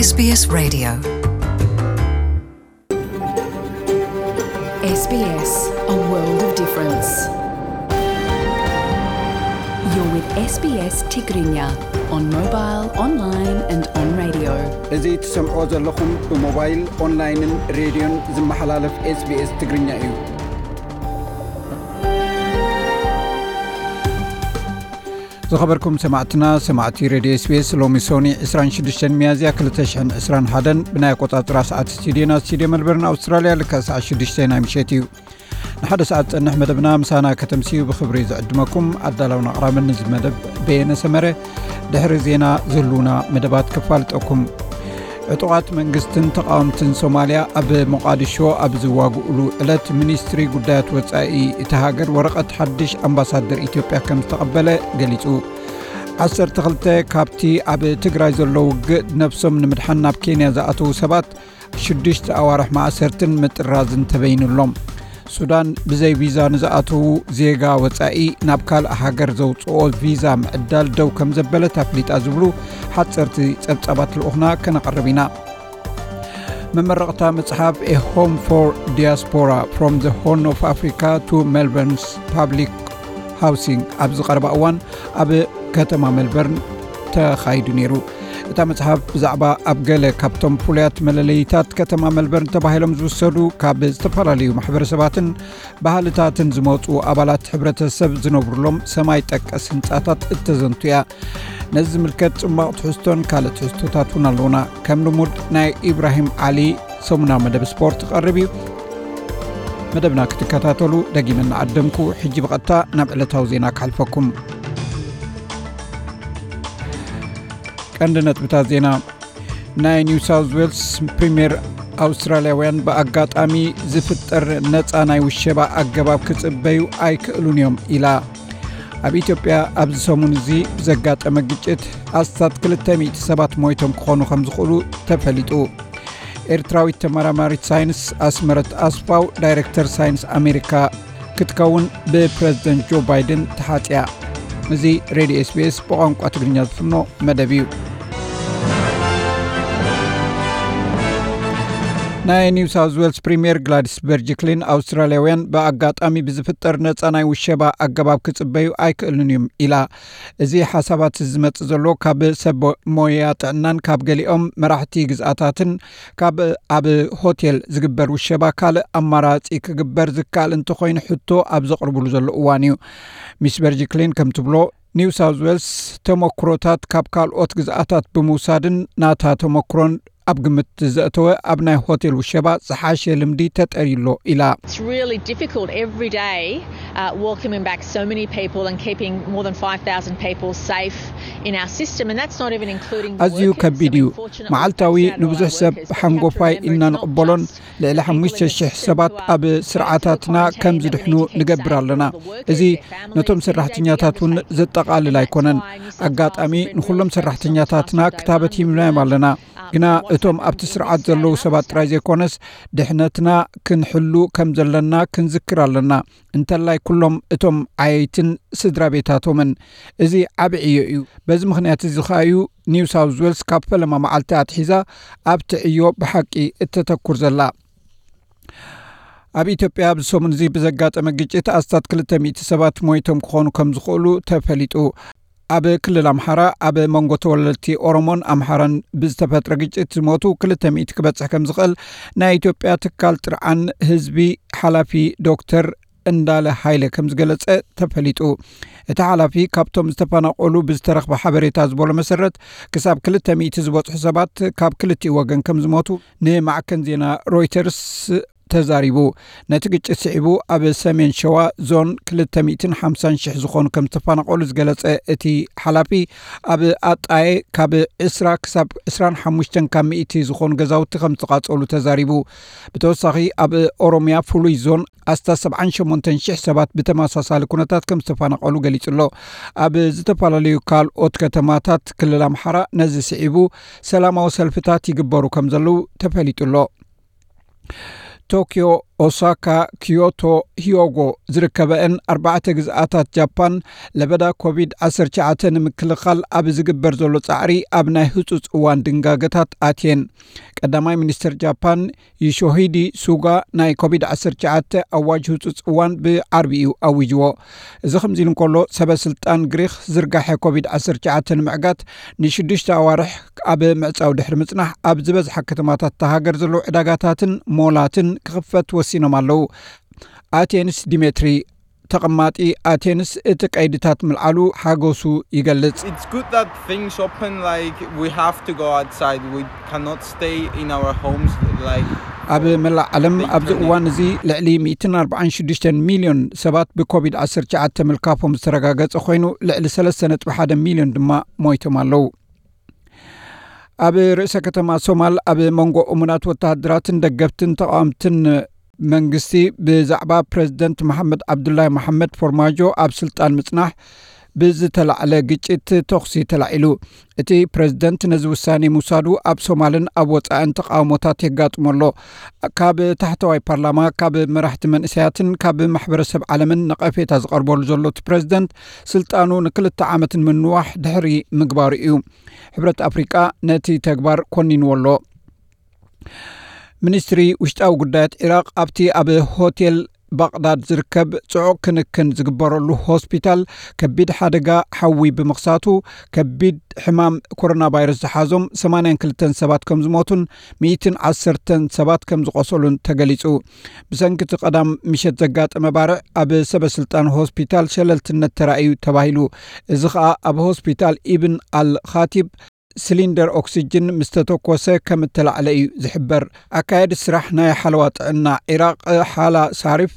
SBS Radio. SBS, a world of difference. You're with SBS Tigrinya on mobile, online and on radio. እዚ ትሰምዕዎ ዘለኹም ብሞባይል፣ ኦንላይንን ሬድዮን ዝመሓላለፍ SBS ትግርኛ እዩ። ዝኸበርኩም ሰማዕትና፣ ሰማዕቲ ሬድዮ SBS፣ ሎሚ ሶኒ ዕስራን ሽዱሽተን ሚያዝያ ክልተ ሽሕን ዕስራን ሓደን ብናይ ኣቆጻጽራ ሰዓት ስቱድዮና፣ ስቱድዮ መልበርን ኣውስትራልያ፣ ልክዕ ሰዓት ሽዱሽተ ናይ ምሸት እዩ። ንሓደ ሰዓት ጸንሕ መደብና ምሳና ከተምስዩ ብኽብሪ ዝዕድመኩም ኣዳላውን ኣቕራብን እዚ መደብ በየነ ሰመረ። ድሕሪ ዜና ዝህልውና መደባት ክፋልጠኩም። ዕጡቓት መንግስትን ተቓወምትን ሶማልያ ኣብ ሞቓዲሾ ኣብ ዝዋግኡሉ ዕለት፣ ሚኒስትሪ ጉዳያት ወጻኢ እቲ ሃገር ወረቐት ሓድሽ ኣምባሳደር ኢትዮጵያ ከም ዝተቐበለ ገሊጹ። ዓሰርተ ክልተ ካብቲ ኣብ ትግራይ ዘሎ ውግእ ነብሶም ንምድሓን ናብ ኬንያ ዝኣተዉ ሰባት ሽዱሽተ ኣዋርሕ ማእሰርትን ምጥራዝን ተበይኑሎም። ሱዳን ብዘይ ቪዛ ንዝኣተዉ ዜጋ ወጻኢ ናብ ካልእ ሃገር ዘውጽኦ ቪዛ ምዕዳል ደው ከም ዘበለት ኣፍሊጣ ዝብሉ ሓጸርቲ ጸብጻባት ልኡኽና ከነቕርብ ኢና። መመረቕታ መጽሓፍ A Home for Diaspora, From the Horn of Africa to Melbourne's Public Housing ኣብ ዝቐረባ እዋን ኣብ ከተማ ሜልበርን ተኻይዱ ነይሩ። እታ መጽሓፍ ብዛዕባ ኣብ ገለ ካብቶም ፍሉያት መለለይታት ከተማ ሜልበርን ተባሂሎም ዝውሰዱ ካብ ዝተፈላለዩ ማሕበረሰባትን ባህልታትን ዝመጹ ኣባላት ሕብረተሰብ ዝነብሩሎም ሰማይ ጠቀስ ህንጻታት እተዘንቱ እያ። ነዚ ዝምልከት ጽማቕ ትሕዝቶን ካልእ ትሕዝቶታት እውን ኣለዉና። ከም ልሙድ ናይ ኢብራሂም ዓሊ ሰሙናዊ መደብ ስፖርት ክቐርብ እዩ። መደብና ክትከታተሉ ደጊመ እናዓደምኩ፣ ሕጂ ብቐጥታ ናብ ዕለታዊ ዜና ክሓልፈኩም። ቀንዲ ነጥብታት ዜና። ናይ ኒው ሳውዝ ዌልስ ፕሪምየር፣ ኣውስትራልያውያን ብኣጋጣሚ ዝፍጠር ነፃ ናይ ውሸባ ኣገባብ ክጽበዩ ኣይክእሉን እዮም ኢላ። ኣብ ኢትዮጵያ ኣብዚ ሰሙን እዚ ብዘጋጠመ ግጭት ኣስታት ክልተ ሚእቲ ሰባት ሞይቶም ክኾኑ ከም ዝኽእሉ ተፈሊጡ። ኤርትራዊት ተመራማሪት ሳይንስ ኣስመረት ኣስፋው ዳይሬክተር ሳይንስ ኣሜሪካ ክትከውን ብፕረዚደንት ጆ ባይደን ተሓጽያ። እዚ ሬድዮ SBS ብቋንቋ ትግርኛ ዝፍኖ መደብ እዩ። ናይ ኒው ሳውዝ ዌልስ ፕሪምየር ግላዲስ በርጅክሊን ኣውስትራልያውያን ብኣጋጣሚ ብዝፍጠር ነጻ ናይ ውሸባ ኣገባብ ክጽበዩ ኣይክእሉን እዮም ኢላ። እዚ ሓሳባት ዝመጽእ ዘሎ ካብ ሰብ ሞያ ጥዕናን ካብ ገሊኦም መራሕቲ ግዝኣታትን ካብ ኣብ ሆቴል ዝግበር ውሸባ ካልእ ኣማራጺ ክግበር ዝከኣል እንተኾይኑ ሕቶ ኣብ ዘቕርብሉ ዘሎ እዋን እዩ። ሚስ በርጅክሊን ከም ትብሎ፣ ኒው ሳውዝ ዌልስ ተመክሮታት ካብ ካልኦት ግዝኣታት ብምውሳድን ናታ ተመክሮን ኣብ ግምት ዘእተወ ኣብ ናይ ሆቴል ውሸባ ዝሓሸ ልምዲ ተጠርዩ ኣሎ ኢላ። It's really difficult every day, uh, welcoming back so many people and keeping more than five thousand people safe in our system, and that's not even including the ኣዝዩ workers. ከቢድ እዩ። መዓልታዊ ንብዙሕ ሰብ ሓንጎፋይ ኢልና ንቕበሎን ልዕሊ ሓሙሽተ ሽሕ ሰባት ኣብ ስርዓታትና ከም ዝድሕኑ ንገብር ኣለና። እዚ ነቶም ሰራሕተኛታት እውን ዘጠቓልል ኣይኮነን። ኣጋጣሚ ንኹሎም ሰራሕተኛታትና ክታበት ሂብናዮም ኣለና። ግና እቶም ኣብቲ ስርዓት ዘለዉ ሰባት ጥራይ ዘይኮነስ፣ ድሕነትና ክንሕሉ ከም ዘለና ክንዝክር ኣለና። እንተላይ ኩሎም እቶም ዓየይትን ስድራ ቤታቶምን። እዚ ዓቢ ዕዮ እዩ። በዚ ምኽንያት እዚ ኸኣ እዩ ኒው ሳውዝ ዌልስ ካብ ፈለማ መዓልቲ ኣትሒዛ ኣብቲ ዕዮ ብሓቂ እተተኩር ዘላ። ኣብ ኢትዮጵያ ኣብዚ ሰሙን እዚ ብዘጋጠመ ግጭት ኣስታት ክልተ ሚእቲ ሰባት ሞይቶም ክኾኑ ከም ዝኽእሉ ተፈሊጡ። ኣብ ክልል ኣምሓራ ኣብ መንጎ ተወለድቲ ኦሮሞን ኣምሓራን ብዝተፈጥረ ግጭት ዝሞቱ ክልተ ሚእቲ ክበጽሕ ከም ዝኽእል ናይ ኢትዮጵያ ትካል ጥርዓን ህዝቢ ሓላፊ ዶክተር እንዳለ ሃይለ ከም ዝገለጸ ተፈሊጡ። እቲ ሓላፊ ካብቶም ዝተፈናቐሉ ብዝተረኽበ ሓበሬታ ዝበሎ መሰረት ክሳብ ክልተ ሚእቲ ዝበጽሑ ሰባት ካብ ክልቲኡ ወገን ከም ዝሞቱ ንማዕከን ዜና ሮይተርስ ተዛሪቡ። ነቲ ግጭት ስዒቡ ኣብ ሰሜን ሸዋ ዞን ክልተ ሚእትን ሓምሳን ሽሕ ዝኾኑ ከም ዝተፈናቐሉ ዝገለጸ እቲ ሓላፊ፣ ኣብ ኣጣየ ካብ ዕስራ ክሳብ ዕስራን ሓሙሽተን ካብ ሚእቲ ዝኾኑ ገዛውቲ ከም ዝተቓጸሉ ተዛሪቡ። ብተወሳኺ ኣብ ኦሮምያ ፍሉይ ዞን ኣስታት ሰብዓን ሸሞንተን ሽሕ ሰባት ብተመሳሳሊ ኩነታት ከም ዝተፈናቐሉ ገሊጹ ኣሎ። ኣብ ዝተፈላለዩ ካልኦት ከተማታት ክልል ኣምሓራ ነዚ ስዒቡ ሰላማዊ ሰልፍታት ይግበሩ ከም ዘለዉ ተፈሊጡ ኣሎ። ቶክዮ ኦሳካ፣ ኪዮቶ፣ ሂዮጎ ዝርከበአን ኣርባዕተ ግዝኣታት ጃፓን ለበዳ ኮቪድ ዓሰርተ ትሽዓተ ንምክልኻል ኣብ ዝግበር ዘሎ ጻዕሪ ኣብ ናይ ህጹጽ እዋን ድንጋገታት ኣትየን። ቀዳማይ ሚኒስትር ጃፓን ዮሺሂዲ ሱጋ ናይ ኮቪድ ዓሰርተ ትሽዓተ ኣዋጅ ህጹጽ እዋን ብዓርቢ እዩ ኣዊጅዎ። እዚ ከምዚ ኢሉ እንከሎ፣ ሰበ ስልጣን ግሪኽ ዝርጋሐ ኮቪድ ዓሰርተ ትሽዓተ ንምዕጋት ንሽዱሽተ ኣዋርሕ ኣብ ምዕጻው ድሕሪ ምጽናሕ፣ ኣብ ዝበዝሓ ከተማታት እታ ሃገር ዘለዉ ዕዳጋታትን ሞላትን ክኽፈት ወሲኖም ኣለዉ። ኣቴንስ ዲሜትሪ፣ ተቐማጢ ኣቴንስ፣ እቲ ቀይድታት ምልዓሉ ሓጎሱ ይገልጽ። It's good that things open, like, we have to go outside. We cannot stay in our homes, like, ኣብ መላእ ዓለም ኣብዚ እዋን እዚ ልዕሊ ሚእትን ኣርባዓን ሽዱሽተን ሚልዮን ሰባት ብኮቪድ ዓሰርተ ትሽዓተ ምልካፎም ዝተረጋገጸ ኮይኑ፣ ልዕሊ ሰለስተ ነጥቢ ሓደ ሚልዮን ድማ ሞይቶም ኣለዉ። ኣብ ርእሰ ከተማ ሶማል ኣብ መንጎ እሙናት ወተሃደራትን ደገፍትን ተቓወምትን መንግስቲ ብዛዕባ ፕረዚደንት መሓመድ ዓብዱላይ መሓመድ ፎርማጆ ኣብ ስልጣን ምጽናሕ ብዝተላዕለ ግጭት ተኹሲ ተላዒሉ። እቲ ፕረዚደንት ነዚ ውሳኔ ምውሳዱ ኣብ ሶማልን ኣብ ወጻእን ተቓውሞታት የጋጥሞ ኣሎ። ካብ ታሕተዋይ ፓርላማ፣ ካብ መራሕቲ መንእሰያትን ካብ ማሕበረሰብ ዓለምን ነቐፌታ ዝቐርበሉ ዘሎ እቲ ፕረዚደንት፣ ስልጣኑ ንክልተ ዓመት ንምንዋሕ ድሕሪ ምግባሩ እዩ። ሕብረት ኣፍሪቃ ነቲ ተግባር ኮኒንዎ ኣሎ። ሚኒስትሪ ውሽጣዊ ጉዳያት ዒራቕ ኣብቲ ኣብ ሆቴል ባቕዳድ ዝርከብ ጽዑቕ ክንክን ዝግበረሉ ሆስፒታል ከቢድ ሓደጋ ሓዊ ብምኽሳቱ፣ ከቢድ ሕማም ኮሮና ቫይረስ ዝሓዞም ሰማንያን ክልተን ሰባት ከም ዝሞቱን ሚእትን ዓሰርተን ሰባት ከም ዝቖሰሉን ተገሊጹ። ብሰንኪ እቲ ቀዳም ምሸት ዘጋጠመ ባርዕ፣ ኣብ ሰበ ስልጣን ሆስፒታል ሸለልትነት ተራእዩ ተባሂሉ። እዚ ኸኣ ኣብ ሆስፒታል ኢብን ኣል ኻቲብ ሲሊንደር ኦክሲጅን ምስ ተተኮሰ ከም እተላዕለ እዩ ዝሕበር። ኣካየዲ ስራሕ ናይ ሓለዋ ጥዕና ዒራቕ ሓላ ሳሪፍ፣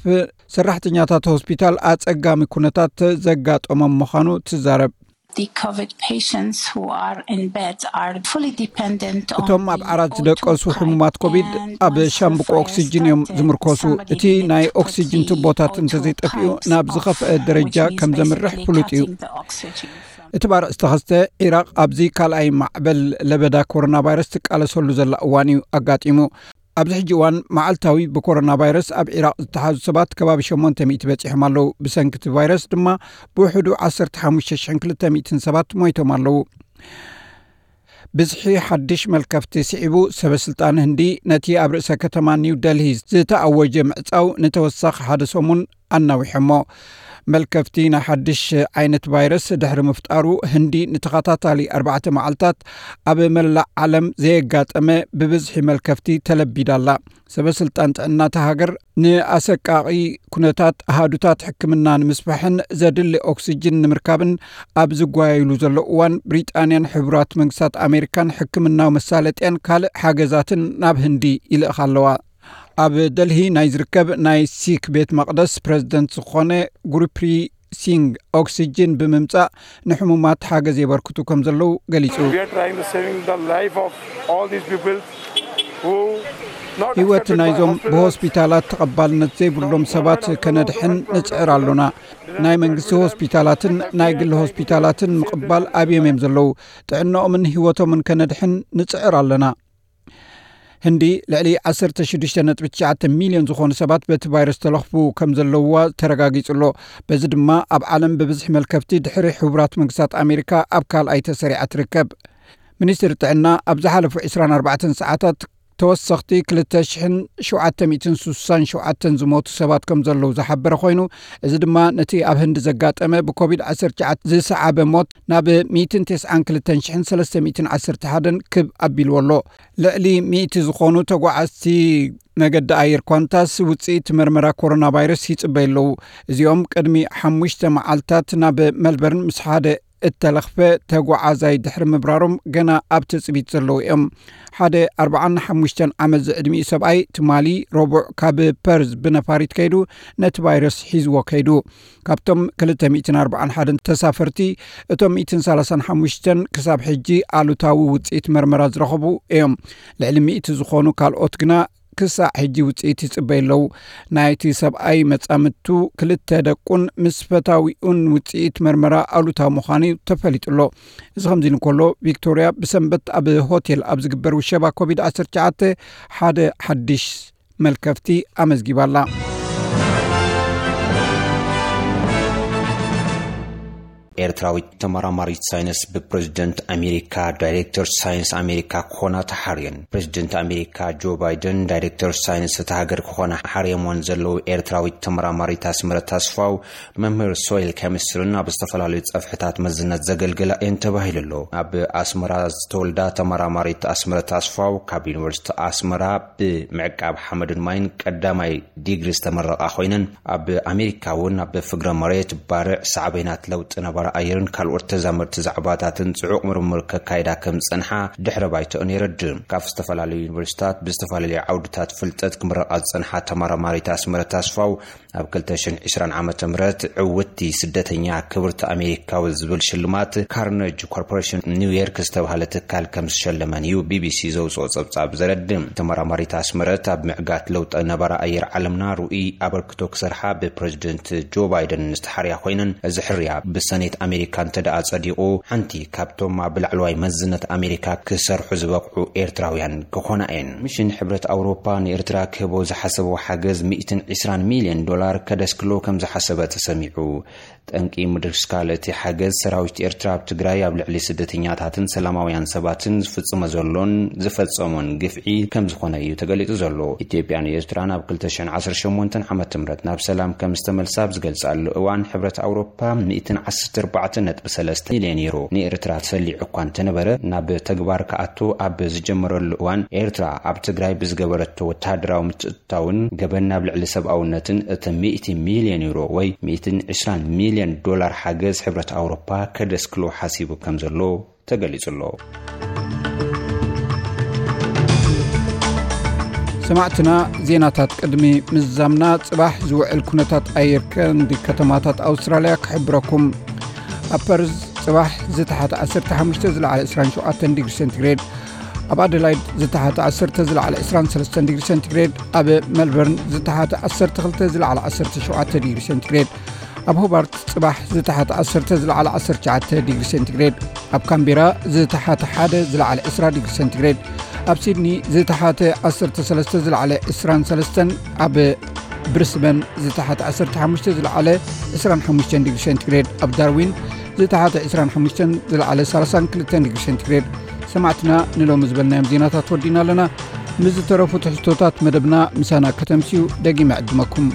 ሰራሕተኛታት ሆስፒታል ኣጸጋሚ ኩነታት ዘጋጠሞም ምዃኑ ትዛረብ። The COVID patients who are in bed are fully dependent on እቶም ኣብ ዓራት ዝደቀሱ ሕሙማት ኮቪድ ኣብ ሻምብቆ ኦክሲጅን እዮም ዝምርኮሱ። እቲ ናይ ኦክሲጅን ቱቦታት እንተዘይጠፊኡ፣ ናብ ዝኸፍአ ደረጃ ከም ዘምርሕ ፍሉጥ እዩ። እቲ ባርዕ ዝተኸስተ፣ ዒራቕ ኣብዚ ካልኣይ ማዕበል ለበዳ ኮሮና ቫይረስ ትቃለሰሉ ዘላ እዋን እዩ ኣጋጢሙ። ኣብዚ ሕጂ እዋን፣ መዓልታዊ ብኮሮና ቫይረስ ኣብ ዒራቕ ዝተሓዙ ሰባት ከባቢ ሸሞንተ ሚእቲ በጺሖም ኣለዉ። ብሰንኪ እቲ ቫይረስ ድማ ብውሕዱ ዓሰርተ ሓሙሽተ ሽሕን ክልተ ሚእትን ሰባት ሞይቶም ኣለዉ። ብዝሒ ሓድሽ መልከፍቲ ስዒቡ፣ ሰበ ስልጣን ህንዲ ነቲ ኣብ ርእሰ ከተማ ኒው ደልሂ ዝተኣወጀ ምዕጻው ንተወሳኺ ሓደ ሰሙን ኣናዊሖሞ። መልከፍቲ ናይ ሓድሽ ዓይነት ቫይረስ ድሕሪ ምፍጣሩ፣ ህንዲ ንተኸታታሊ ኣርባዕተ መዓልታት ኣብ መላእ ዓለም ዘየጋጠመ ብብዝሒ መልከፍቲ ተለቢዳ ኣላ። ሰበ ስልጣን ጥዕና እታ ሃገር ንኣሰቃቒ ኩነታት ኣሃዱታት ሕክምና ንምስፋሕን ዘድሊ ኦክሲጅን ንምርካብን ኣብ ዝጓየሉ ዘሎ እዋን፣ ብሪጣንያን ሕቡራት መንግስታት ኣሜሪካን ሕክምናዊ መሳለጥያን ካልእ ሓገዛትን ናብ ህንዲ ይልእኻ ኣለዋ። ኣብ ደልሂ ናይ ዝርከብ ናይ ሲክ ቤት መቕደስ ፕረዚደንት ዝኾነ ጉሩፕሪ ሲንግ፣ ኦክሲጅን ብምምጻእ ንሕሙማት ሓገዝ የበርክቱ ከም ዘለዉ ገሊጹ። We are trying to saving the life of all these people who not ህይወት accepted by ናይዞም hospitals. ብሆስፒታላት ተቐባልነት ዘይብሎም ሰባት ከነድሕን ንጽዕር ኣሎና። ናይ መንግስቲ ሆስፒታላትን ናይ ግሊ ሆስፒታላትን ምቕባል ኣብዮም እዮም ዘለዉ። ጥዕናኦምን ህይወቶምን ከነድሕን ንጽዕር ኣለና። ህንዲ ልዕሊ ዓሰርተ ሽዱሽተ ነጥቢ ትሽዓተ ሚልዮን ዝኾኑ ሰባት በቲ ቫይረስ ተለኽፉ ከም ዘለውዋ ተረጋጊጹ ኣሎ። በዚ ድማ ኣብ ዓለም ብብዝሒ መልከፍቲ ድሕሪ ሕቡራት መንግስታት ኣሜሪካ ኣብ ካልኣይ ተሰሪዓ ትርከብ። ሚኒስትሪ ጥዕና ኣብ ዝሓለፉ ዕስራን ኣርባዕተን ሰዓታት ተወሰኽቲ ክልተ ሽሕን ሸውዓተ ሚእትን ስሳን ሸውዓተን ዝሞቱ ሰባት ከም ዘለዉ ዝሓበረ ኮይኑ፣ እዚ ድማ ነቲ ኣብ ህንዲ ዘጋጠመ ብኮቪድ ዓሰርተ ትሽዓተ ዝሰዓበ ሞት ናብ ሚእትን ተስዓን ክልተን ሽሕን ሰለስተ ሚእትን ዓሰርተ ሓደን ክብ ኣቢልዎ ኣሎ። ልዕሊ ሚእቲ ዝኾኑ ተጓዓዝቲ መገዲ ኣየር ኳንታስ ውጽኢት መርመራ ኮሮና ቫይረስ ይጽበዩ ኣለዉ። እዚኦም ቅድሚ ሓሙሽተ መዓልታት ናብ መልበርን ምስ ሓደ እተለኽፈ ተጓዓዛይ ድሕሪ ምብራሮም ገና ኣብ ትጽቢት ዘለዉ እዮም። ሓደ ኣርብዓን ሓሙሽተን ዓመት ዝዕድሚኡ ሰብኣይ ትማሊ ረቡዕ ካብ ፐርዝ ብነፋሪት ከይዱ ነቲ ቫይረስ ሒዝዎ ከይዱ። ካብቶም ክልተ ሚእትን ኣርብዓን ሓደን ተሳፈርቲ፣ እቶም ሚእትን ሰላሳን ሓሙሽተን ክሳብ ሕጂ ኣሉታዊ ውጽኢት መርመራ ዝረኸቡ እዮም። ልዕሊ ሚእቲ ዝኾኑ ካልኦት ግና ክሳዕ ሕጂ ውጽኢት ይጽበዩ ኣለዉ። ናይቲ ሰብኣይ መጻምድቱ፣ ክልተ ደቁን ምስ ፈታዊኡን ውጽኢት መርመራ ኣሉታዊ ምዃኑ ተፈሊጡ ኣሎ። እዚ ከምዚ ኢሉ እንከሎ፣ ቪክቶርያ ብሰንበት ኣብ ሆቴል ኣብ ዝግበር ውሸባ ኮቪድ ዓሰርተ ትሽዓተ ሓደ ሓድሽ መልከፍቲ ኣመዝጊባ ኣላ። ኤርትራዊት ተመራማሪት ሳይንስ ብፕሬዝደንት ኣሜሪካ ዳይሬክተር ሳይንስ ኣሜሪካ ክኾና ተሓርየን። ፕሬዝደንት ኣሜሪካ ጆ ባይደን ዳይሬክተር ሳይንስ እታ ሃገር ክኾና ሓርየሞን ዘለዉ ኤርትራዊት ተመራማሪት ኣስመረት ኣስፋው፣ መምህር ሶይል ኬሚስትርን ኣብ ዝተፈላለዩ ጸፍሕታት መዝነት ዘገልግላ እየን ተባሂሉ ኣሎ። ኣብ ኣስመራ ዝተወልዳ ተመራማሪት ኣስመረት ኣስፋው፣ ካብ ዩኒቨርሲቲ ኣስመራ ብምዕቃብ ሓመድን ማይን ቀዳማይ ዲግሪ ዝተመረቓ ኮይነን፣ ኣብ ኣሜሪካ እውን ኣብ ፍግረ መሬት፣ ባርዕ፣ ሳዕቤናት ለውጢ ነባሪ ኣየርን ካልኦት ተዛመድቲ ዛዕባታትን ጽዑቕ ምርምር ከካይዳ ከም ዝጸንሓ ድሕረ ባይተኦን የረድእ። ካብ ዝተፈላለዩ ዩኒቨርሲታት ብዝተፈላለዩ ዓውድታት ፍልጠት ክምረቓ ዝጸንሓ ተመራማሪት ኣስመረት ኣስፋው፣ ኣብ ክልተ ሽሕን ዕስራን ዓመተ ምህረት ዕውትቲ ስደተኛ ክብርቲ ኣሜሪካዊ ዝብል ሽልማት ካርነጅ ኮርፖሬሽን ኒውዮርክ ዝተባህለ ትካል ከም ዝሸለመን እዩ ቢቢሲ ዘውፅኦ ጸብጻብ ዘረድእ። ተመራማሪት ኣስመረት ኣብ ምዕጋት ለውጢ ነባሪ ኣየር ዓለምና ርኡይ ኣበርክቶ ክሰርሓ ብፕሬዝደንት ጆ ባይደን ዝተሓርያ ኮይነን፣ እዚ ሕርያ ብሰኔት ኣሜሪካ እንተ ደኣ ጸዲቑ፣ ሓንቲ ካብቶም ኣብ ላዕለዋይ መዝነት ኣሜሪካ ክሰርሑ ዝበቕዑ ኤርትራውያን ክኾና እየን። ሚሽን ሕብረት ኣውሮፓ ንኤርትራ ክህቦ ዝሓሰቦ ሓገዝ ሚእትን ዕስራን ሚልዮን ዶላር ከደስክሎ ከም ዝሓሰበ ተሰሚዑ። ጠንቂ ምድስካል እቲ ሓገዝ፣ ሰራዊት ኤርትራ ኣብ ትግራይ ኣብ ልዕሊ ስደተኛታትን ሰላማውያን ሰባትን ዝፍጽሞ ዘሎን ዝፈጸሞን ግፍዒ ከም ዝኾነ እዩ ተገሊጹ ዘሎ። ኢትዮጵያን ኤርትራን ኣብ ክልተ ሽሕን ዓሰርተ ሸሞንተን ዓመተ ምህረት ናብ ሰላም ከም ዝተመልሳ ኣብ ዝገልጻሉ እዋን፣ ሕብረት ኣውሮፓ ሚእትን ዓሰርተ ኣርባዕተ ነጥቢ ሰለስተ ሚልዮን ዩሮ ንኤርትራ ተሰሊዑ እኳ እንተነበረ፣ ናብ ተግባር ክኣቱ ኣብ ዝጀመረሉ እዋን፣ ኤርትራ ኣብ ትግራይ ብዝገበረቶ ወተሃደራዊ ምትእትታውን ገበን ኣብ ልዕሊ ሰብኣውነትን፣ እቲ ሚእቲ ሚልዮን ዩሮ ወይ ሚእትን ዕስራን ሚልዮን ዶላር ሓገዝ ሕብረት ኣውሮፓ ከደስክሎ ሓሲቡ ከም ዘሎ ተገሊጹ ኣሎ። ሰማዕትና፣ ዜናታት ቅድሚ ምዝዛምና፣ ጽባሕ ዝውዕል ኩነታት ኣየር ቀንዲ ከተማታት ኣውስትራልያ ክሕብረኩም። ኣብ ፐርዝ ጽባሕ ዝተሓተ ዓሰርተ ሓሙሽተ፣ ዝለዓለ ዕስራን ሸውዓተን ዲግሪ ሴንቲግሬድ፣ ኣብ ኣደላይድ ዝተሓተ ዓሰርተ፣ ዝለዓለ ዕስራን ሰለስተን ዲግሪ ሴንቲግሬድ፣ ኣብ ሜልበርን ዝተሓተ ዓሰርተ ክልተ፣ ዝለዓለ ዓሰርተ ሸውዓተ ዲግሪ ሴንቲግሬድ፣ ኣብ ሆባርት ጽባሕ ዝተሓተ ዓሰርተ፣ ዝለዓለ ዓሰርተ ትሽዓተ ዲግሪ ሴንቲግሬድ፣ ኣብ ካምቤራ ዝተሓተ ሓደ፣ ዝለዓለ ዕስራ ዲግሪ ሴንቲግሬድ፣ ኣብ ሲድኒ ዝተሓተ ዓሰርተ ሰለስተ፣ ዝለዓለ ዕስራን ሰለስተን፣ ኣብ ብሪስበን ዝተሓተ ዓሰርተ ሓሙሽተ፣ ዝለዓለ ዕስራን ሓሙሽተን ዲግሪ ሴንቲግሬድ፣ ኣብ ዳርዊን ዝተሓተ ዕስራን ሓሙሽተን፣ ዝለዓለ ሰላሳን ክልተን ዲግሪ ሴንቲግሬድ። ሰማዕትና፣ ንሎሚ ዝበልናዮም ዜናታት ወዲና ኣለና። ምስ ዝተረፉ ትሕዝቶታት መደብና ምሳና ከተምስዩ ደጊመ ዕድመኩም።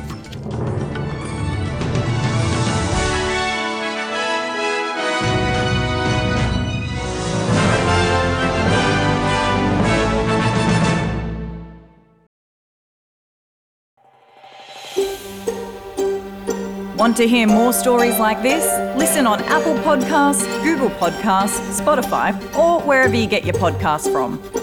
Want to hear more stories like this? Listen on Apple Podcasts, Google Podcasts, Spotify, or wherever you get your podcasts from.